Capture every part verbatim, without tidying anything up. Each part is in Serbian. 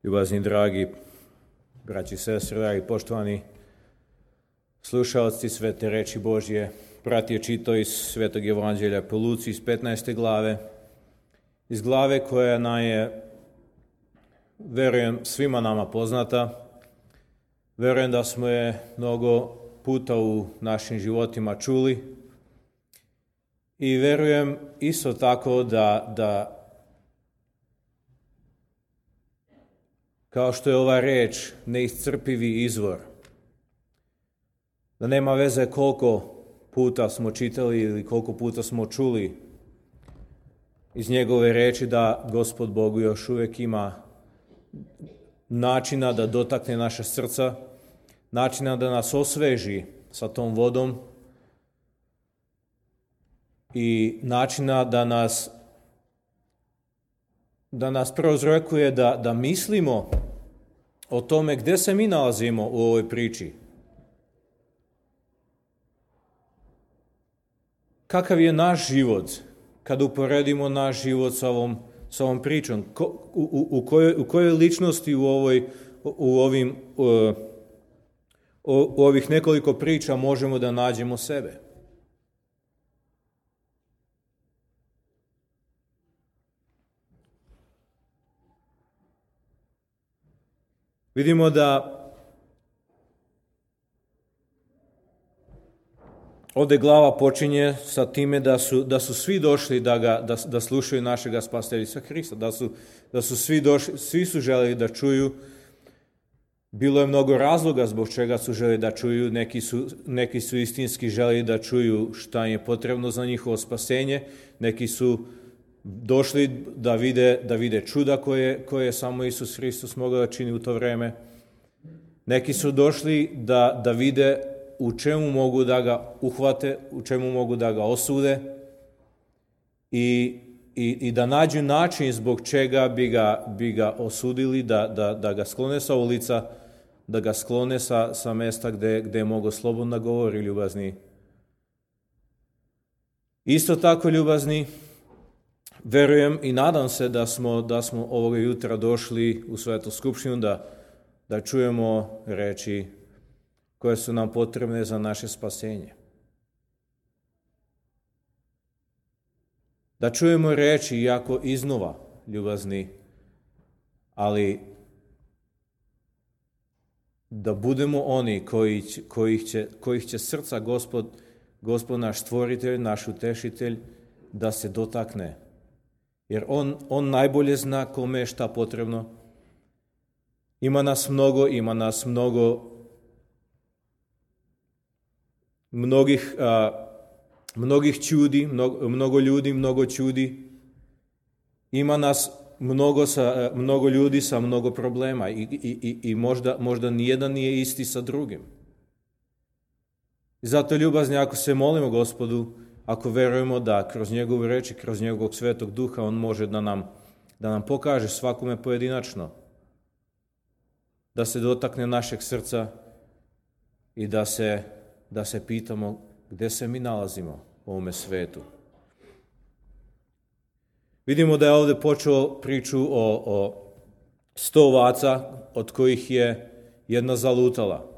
Ljubazni, dragi braći i sestre, dragi poštovani slušalci svete reči Božje, brat je čitao iz Svetog Evanđelja po Luci iz petnaeste glave, iz glave koja nam je, verujem, svima nama poznata. Verujem da smo je mnogo puta u našim životima čuli i verujem isto tako da, da kao što je ova reč neiscrpivi izvor, da nema veze koliko puta smo čitali ili koliko puta smo čuli iz njegove reči, da Gospod Bog još uvijek ima načina da dotakne naše srca, načina da nas osveži sa tom vodom i načina da nas da nas prozrekuje da, da mislimo o tome gdje se mi nalazimo u ovoj priči. Kakav je naš život kad uporedimo naš život sa ovom, sa ovom pričom? Ko, u, u, u, kojoj, u kojoj ličnosti u, ovoj, u, ovim, u, u ovih nekoliko priča možemo da nađemo sebe? Vidimo da ovdje glava počinje sa time da su, da su svi došli da, ga, da, da slušaju našega Spasitelja Hrista, da su, da su svi došli, svi su želeli da čuju. Bilo je mnogo razloga zbog čega su želeli da čuju, neki su, neki su istinski želeli da čuju šta je potrebno za njihovo spasenje, neki su došli da vide, da vide čuda koje, koje samo Isus Hristos mogao da čini u to vreme. Neki su došli da, da vide u čemu mogu da ga uhvate, u čemu mogu da ga osude i, i, i da nađu način zbog čega bi ga, bi ga osudili, da, da, da ga sklone sa ulica, da ga sklone sa, sa mesta gde, gde je mogo slobodno govori, ljubazni. Isto tako, ljubazni, verujem i nadam se da smo, da smo ovoga jutra došli u Svetu skupštinu da, da čujemo reči koje su nam potrebne za naše spasenje. Da čujemo reči jako iznova, ljubazni, ali da budemo oni koji, kojih, će, kojih će srca Gospod, Gospod naš stvoritelj, naš utešitelj, da se dotakne. Jer on, on najbolje zna kome je šta potrebno. Ima nas mnogo, ima nas mnogo, mnogih, a, mnogih čudi, mnogo, mnogo ljudi, mnogo čudi. Ima nas mnogo, sa, mnogo ljudi sa mnogo problema i, i, i, i možda, možda nijedan nije isti sa drugim. I zato, ljubazni, ako se molimo Gospodu, ako verujemo da kroz njegovu reči, kroz njegovog Svetog Duha, on može da nam, da nam pokaže svakome pojedinačno, da se dotakne našeg srca i da se, da se pitamo gdje se mi nalazimo u ovome svetu. Vidimo da je ovdje počeo priču o, o sto ovaca, od kojih je jedna zalutala.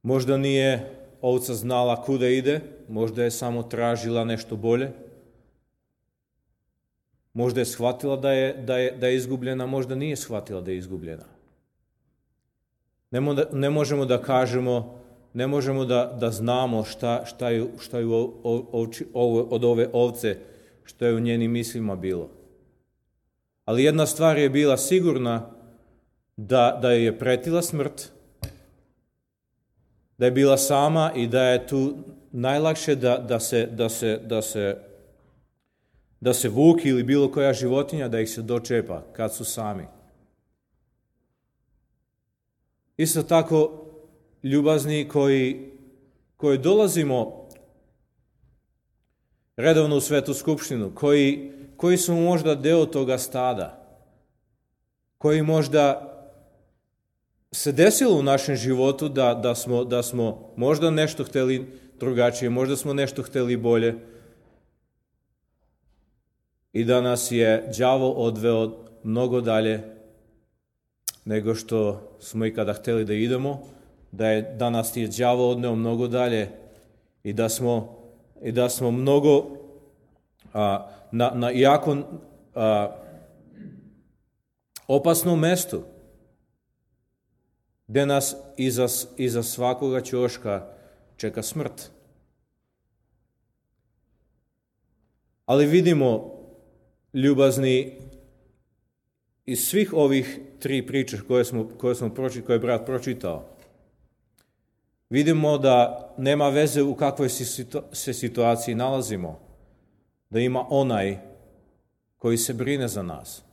Možda nije ovca znala kuda ide, možda je samo tražila nešto bolje, možda je shvatila da je, da je, da je izgubljena, možda nije shvatila da je izgubljena. Ne, mo, ne možemo da kažemo, ne možemo da, da znamo šta, šta je, šta je u, ovči, ovo, od ove ovce, što je u njenim mislima bilo. Ali jedna stvar je bila sigurna, da, da je pretila smrt, da je bila sama i da je tu najlakše da, da, se, da, se, da, se, da se vuk ili bilo koja životinja da ih se dočepa kad su sami. Isto tako, ljubazni koji, koji dolazimo redovno u Svetu skupštinu, koji, koji su možda deo toga stada, koji možda se desilo u našem životu da, da, smo, da smo možda nešto hteli drugačije, možda smo nešto hteli bolje i da nas je đavo odveo mnogo dalje nego što smo ikada htjeli da idemo, da, je, da nas je đavo odneo mnogo dalje i da smo, i da smo mnogo a, na, na jako a, opasnom mestu, gdje nas iza, iza svakoga ćoška čeka smrt. Ali vidimo, ljubazni, iz svih ovih tri priče koje smo, koje smo pročitali, koje je brat pročitao, vidimo da nema veze u kakvoj se situaciji nalazimo, da ima onaj koji se brine za nas,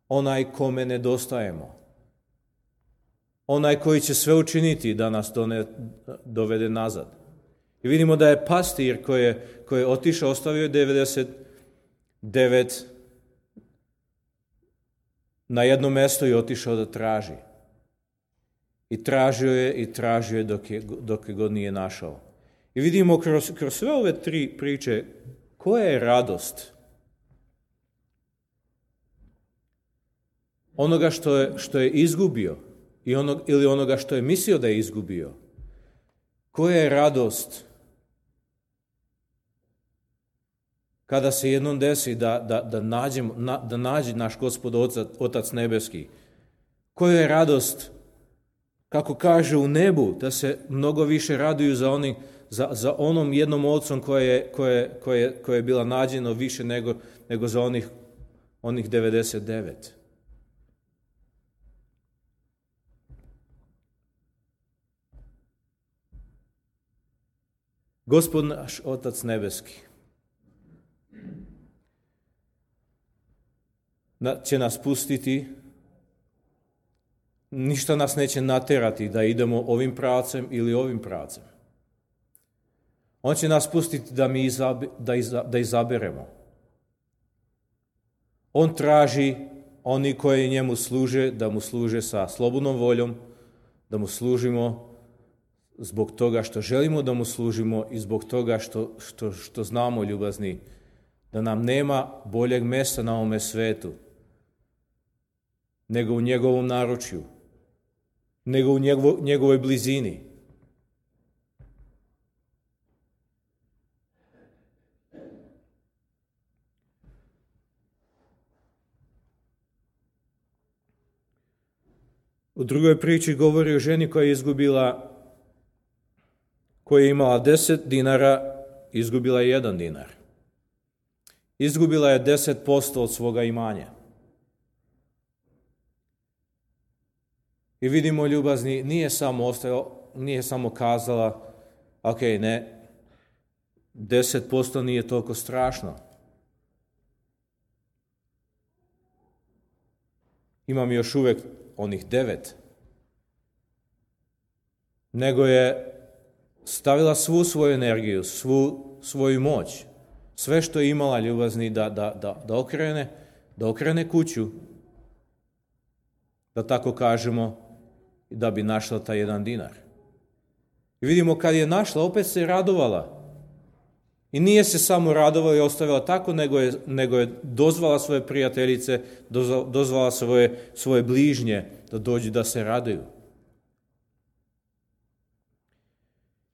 onaj kome nedostajemo, onaj koji će sve učiniti da nas done, dovede nazad. I vidimo da je pastir koji je, koji je otišao, ostavio devedeset devet na jedno mjesto i otišao da traži. I tražio je i tražio je dok je, dok je god nije našao. I vidimo kroz, kroz sve ove tri priče koja je radost onoga što je, što je izgubio i onog, ili onoga što je mislio da je izgubio. Koja je radost kada se jednom desi da, da, da, nađemo, na, da nađe naš Gospod Otac, Otac Nebeski. Koja je radost, kako kaže u nebu, da se mnogo više raduju za, oni, za, za onom jednom ocom koje je, koje, koje, koje je bila nađeno više nego, nego za onih, onih devedeset devet. Gospod naš Otac Nebeski će nas pustiti, ništa nas neće naterati da idemo ovim pravcem ili ovim pravcem. On će nas pustiti da mi izabe, da, iza, da izaberemo. On traži oni koji njemu služe, da mu služe sa slobodnom voljom, da mu služimo zbog toga što želimo da mu služimo i zbog toga što, što, što znamo, ljubazni, da nam nema boljeg mjesta na ovome svetu nego u njegovom naručju, nego u njegovo, njegovoj blizini. U drugoj priči govori o ženi koja je izgubila, koja je imala deset dinara, izgubila je jedan dinar. Izgubila je deset posto od svoga imanja. I vidimo, ljubazni, nije samo ostao, nije samo kazala, ok, ne, deset posto nije toliko strašno. Imam još uvijek onih devet. Nego je stavila svu svoju energiju, svu svoju moć, sve što je imala, ljubazni, da, da, da, da okrene, da okrene kuću, da tako kažemo, da bi našla taj jedan dinar. I vidimo, kad je našla, opet se radovala. I nije se samo radovala i ostavila tako, nego je, nego je dozvala svoje prijateljice, dozvala svoje, svoje bližnje da dođu da se raduju.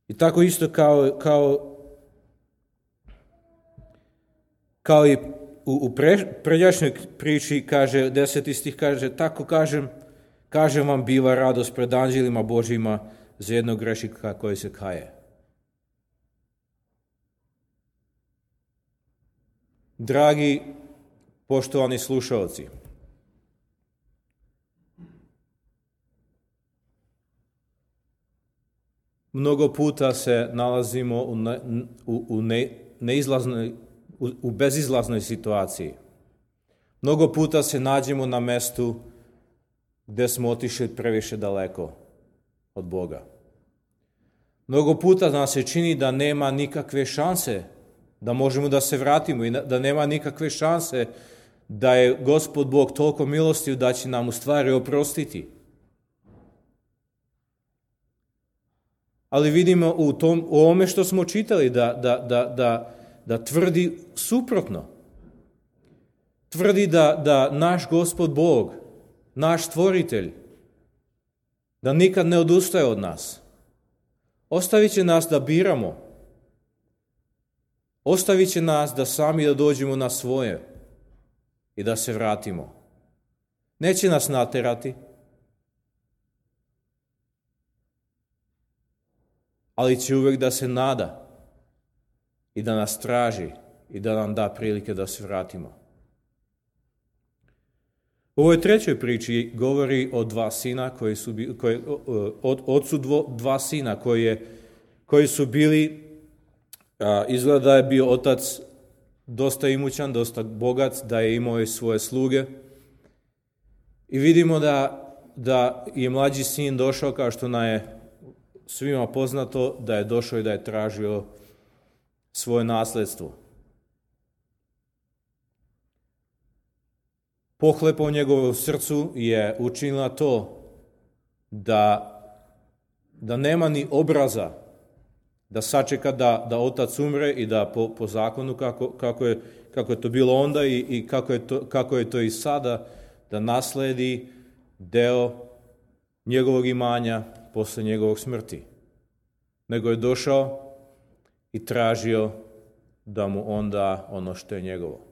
I tako isto kao, kao, kao i u, u pre, pređašnjoj priči, kaže, deseti stih kaže, tako kažem, kažem vam, biva radost pred anđelima Božjima za jednog grešnika koji se kaje. Dragi, poštovani slušalci, mnogo puta se nalazimo u, ne, u, u, ne, neizlaznoj, u, u bezizlaznoj situaciji. Mnogo puta se nađemo na mestu gdje smo otišli previše daleko od Boga. Mnogo puta nam se čini da nema nikakve šanse da možemo da se vratimo i da nema nikakve šanse da je Gospod Bog toliko milostiv da će nam u stvari oprostiti. Ali vidimo u, tom, u ovome što smo čitali da, da, da, da, da tvrdi suprotno. tvrdi da, da naš Gospod Bog, naš stvoritelj, da nikad ne odustaje od nas. Ostavit će nas da biramo. Ostavit će nas da sami da dođemo na svoje i da se vratimo. Neće nas naterati, ali će uvijek da se nada i da nas traži i da nam da prilike da se vratimo. U ovoj trećoj priči govori o dva sina koji su bili, koji, od ocu dvo, dva sina koji, je, koji su bili, a, izgleda da je bio otac dosta imućan, dosta bogat, da je imao i svoje sluge. I vidimo da, da je mlađi sin došao, kao što nam je svima poznato, da je došao i da je tražio svoje nasljedstvo. Pohlepa u njegovom srcu je učinila to da, da nema ni obraza da sačeka da, da otac umre i da po, po zakonu kako, kako, je, kako je to bilo onda i, i kako, je to, kako je to i sada, da nasledi deo njegovog imanja posle njegovog smrti. Nego je došao i tražio da mu on da ono što je njegovo.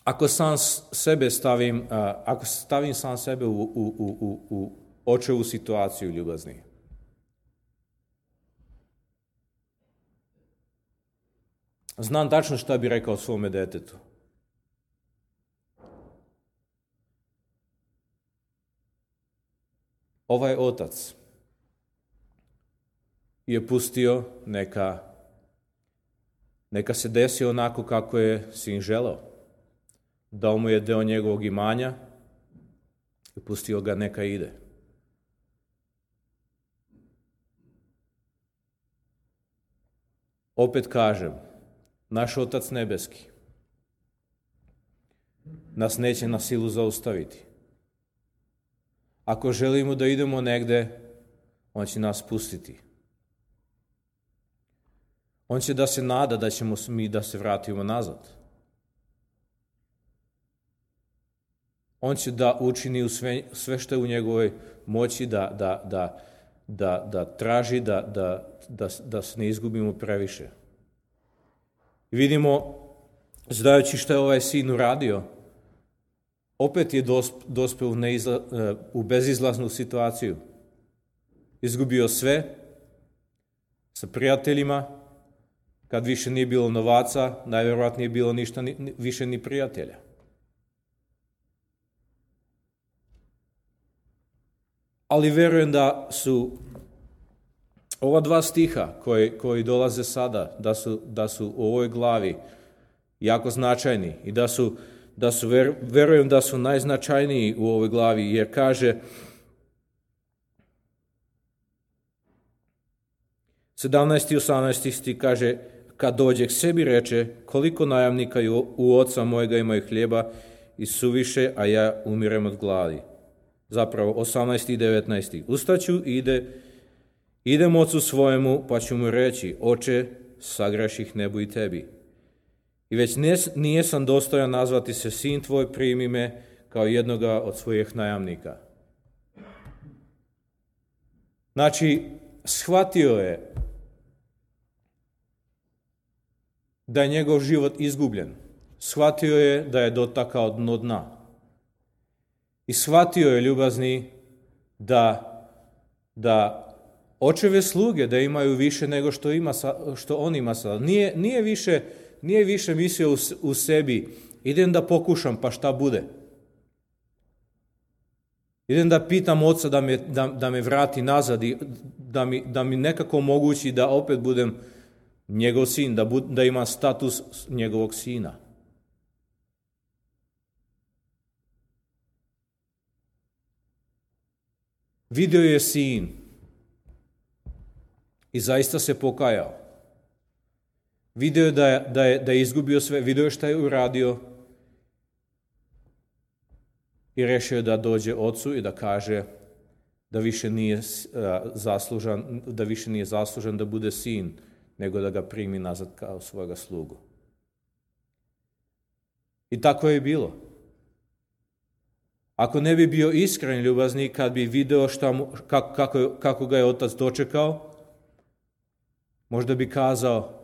Ako sam sebe stavim, ako stavim sam sebe u, u, u, u, u očevu situaciju, ljubazni, znam tačno šta bi rekao svome detetu. Ovaj otac je pustio neka, neka se desi onako kako je sin želeo. Dao mu je deo njegovog imanja i pustio ga neka ide. Opet kažem, naš Otac nebeski nas neće na silu zaustaviti. Ako želimo da idemo negde, on će nas pustiti. On će da se nada da ćemo mi da se vratimo nazad. On će da učini sve, sve što je u njegovoj moći da, da, da, da, da traži da, da, da, da se ne izgubimo previše. I vidimo, znajući što je ovaj sin uradio, opet je dospeo u, neizla, u bezizlaznu situaciju. Izgubio sve sa prijateljima, kad više nije bilo novaca, najvjerojatnije nije bilo ništa ni, više ni prijatelja. Ali verujem da su ova dva stiha koji, koji dolaze sada, da su, da su u ovoj glavi jako značajni i da su, da su ver, verujem da su najznačajniji u ovoj glavi, jer kaže sedamnaesti i osamnaesti stih kaže, kad dođe k sebi reče, koliko najamnika u oca mojega imaju hljeba i suviše, a ja umirem od gladi. Zapravo osamnaesti i devetnaesti Ustaću i ide, idem ocu svojemu, pa ću mu reći, oče, sagreših nebu i tebi. I već nijesam dostojan nazvati se sin tvoj, primi me kao jednoga od svojih najamnika. Znači, shvatio je da je njegov život izgubljen. Shvatio je da je dotakao dno dna. I shvatio je, ljubazni, da, da očeve sluge da imaju više nego što, ima, što on ima sada. Nije, nije, više, nije više mislio u, u sebi, idem da pokušam pa šta bude. Idem da pitam oca da me, da, da me vrati nazad i da mi, da mi nekako omogući da opet budem njegov sin, da, bud, da ima status njegovog sina. Vidio je sin i zaista se pokajao. Vidio je da je, da je, da je izgubio sve, vidio je šta je uradio i rešio je da dođe ocu i da kaže, da više nije zaslužan, da više nije zaslužan da bude sin, nego da ga primi nazad kao svojega slugu. I tako je bilo. Ako ne bi bio iskren ljubazni, kad bi video šta mu, kako, kako, kako ga je otac dočekao, možda bi kazao,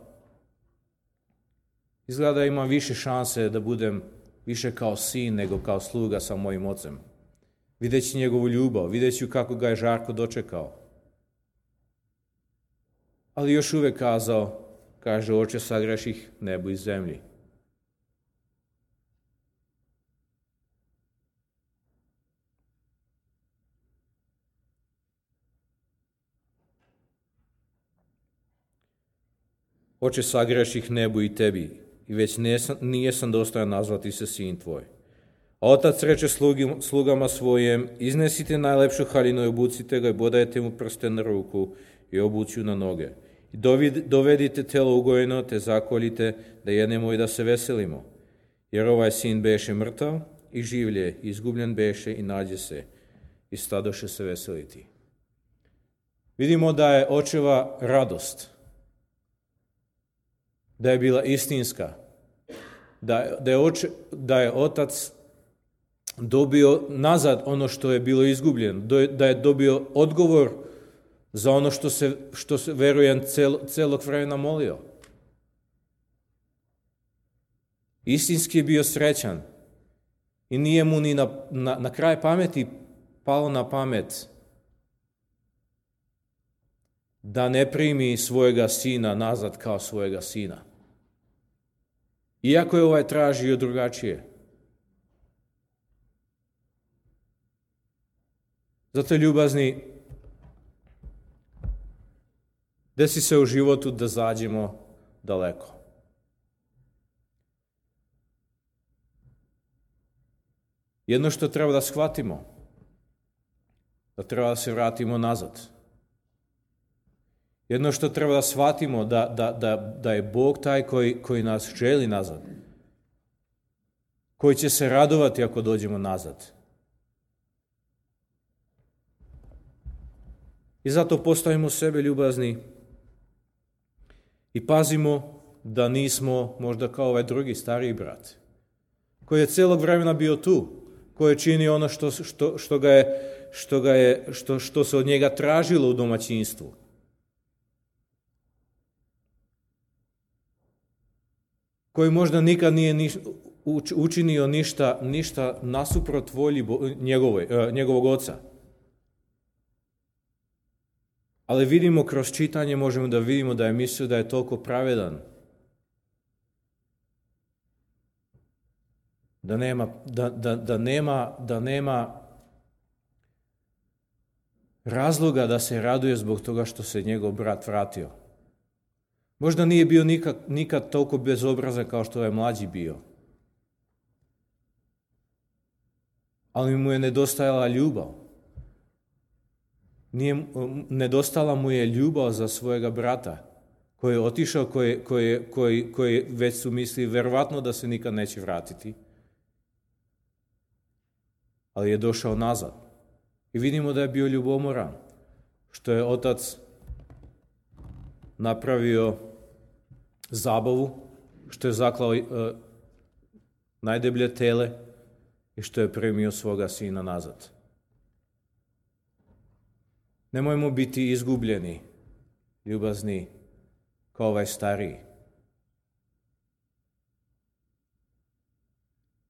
izgleda da imam više šanse da budem više kao sin nego kao sluga sa mojim ocem. Videći njegovu ljubav, videći kako ga je žarko dočekao. Ali još uvijek kazao, kaže, oče, sagreših nebu i zemlji. Oče, sagreših nebu i tebi, i već nisam, nijesam dostojan nazvati se sin tvoj. A otac reče slugi, slugama svojem, iznesite najlepšu haljinu i obucite ga i bodajte mu prste na ruku i obuću na noge. I dovedite telo ugojeno, te zakoljite, da jedemo i da se veselimo. Jer ovaj sin beše mrtav i življe, izgubljen beše i nađe se, i stadoše se veseliti. Vidimo da je očeva radost, da je bila istinska, da, da, je, oče, da je otac dobio nazad ono što je bilo izgubljeno, da je dobio odgovor za ono što se, što se verujem cel, celog vremena molio. Istinski je bio srećan i nije mu ni na, na, na kraj pameti palo na pamet da ne primi svojega sina nazad kao svojega sina. Iako je ovaj tražio drugačije. Zato, ljubazni, desi se u životu da zađemo daleko. Jedno što treba da shvatimo, da treba da se vratimo nazad. Jedno što treba da shvatimo, da, da, da, da je Bog taj koji, koji nas želi nazad, koji će se radovati ako dođemo nazad. I zato postavimo sebe ljubazni i pazimo da nismo možda kao ovaj drugi stariji brat, koji je celog vremena bio tu, koji je činio ono što, što, što, ga je, što, ga je, što, što se od njega tražilo u domaćinstvu. Koji možda nikad nije niš, učinio ništa, ništa nasuprot volji njegove, njegovog oca. Ali vidimo kroz čitanje, možemo da vidimo da je mislio da je toliko pravedan, da nema, da, da, da nema, da nema razloga da se raduje zbog toga što se njegov brat vratio. Možda nije bio nikad, nikad toliko bezobrazan kao što je mlađi bio. Ali mu je nedostajala ljubav. Nije, nedostala mu je ljubav za svojega brata, koji je otišao, koji, koji, koji, koji već su mislili verovatno da se nikad neće vratiti. Ali je došao nazad. I vidimo da je bio ljubomoran, što je otac napravio zabavu, što je zaklao uh, najdeblje tele i što je primio svoga sina nazad. Nemojmo biti izgubljeni, ljubazni, kao ovaj stariji.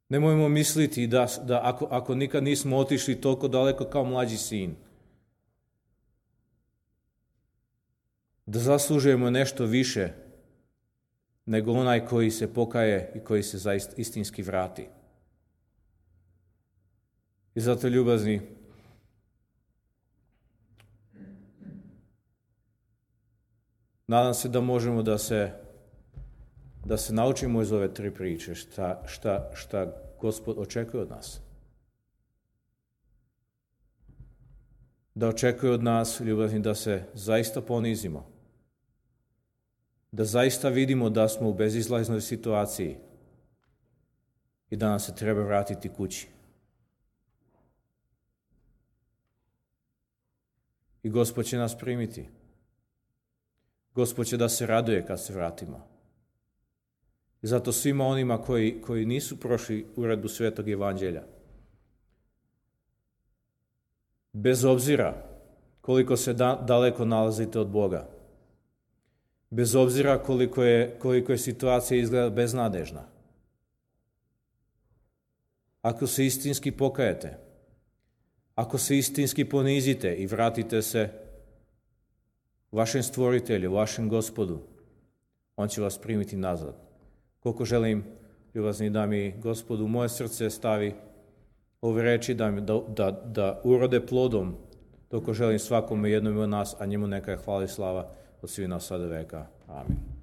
Nemojmo misliti da, da ako, ako nikad nismo otišli toliko daleko kao mlađi sin, da zaslužujemo nešto više nego onaj koji se pokaje i koji se zaista istinski vrati. I zato, ljubazni, nadam se da možemo da se, da se naučimo iz ove tri priče šta, šta, šta Gospod očekuje od nas. Da očekuje od nas, ljubazni, da se zaista ponizimo. Da zaista vidimo da smo u bezizlaznoj situaciji i da nam se treba vratiti kući. I Gospod će nas primiti. Gospod će da se raduje kad se vratimo. I zato svima onima koji, koji nisu prošli uredbu Svetog Evanđelja, bez obzira koliko se da, daleko nalazite od Boga, bez obzira koliko je, koliko je situacija izgleda beznadežna, ako se istinski pokajete, ako se istinski ponizite i vratite se vašem stvoritelju, vašem Gospodu, on će vas primiti nazad. Koliko želim, ljubazni da mi Gospod u moje srce stavi ove reči da, da, da, da urode plodom, toliko želim svakome jednom od nas, a njemu neka je hvala i slava od svih nas sada veka. Amin.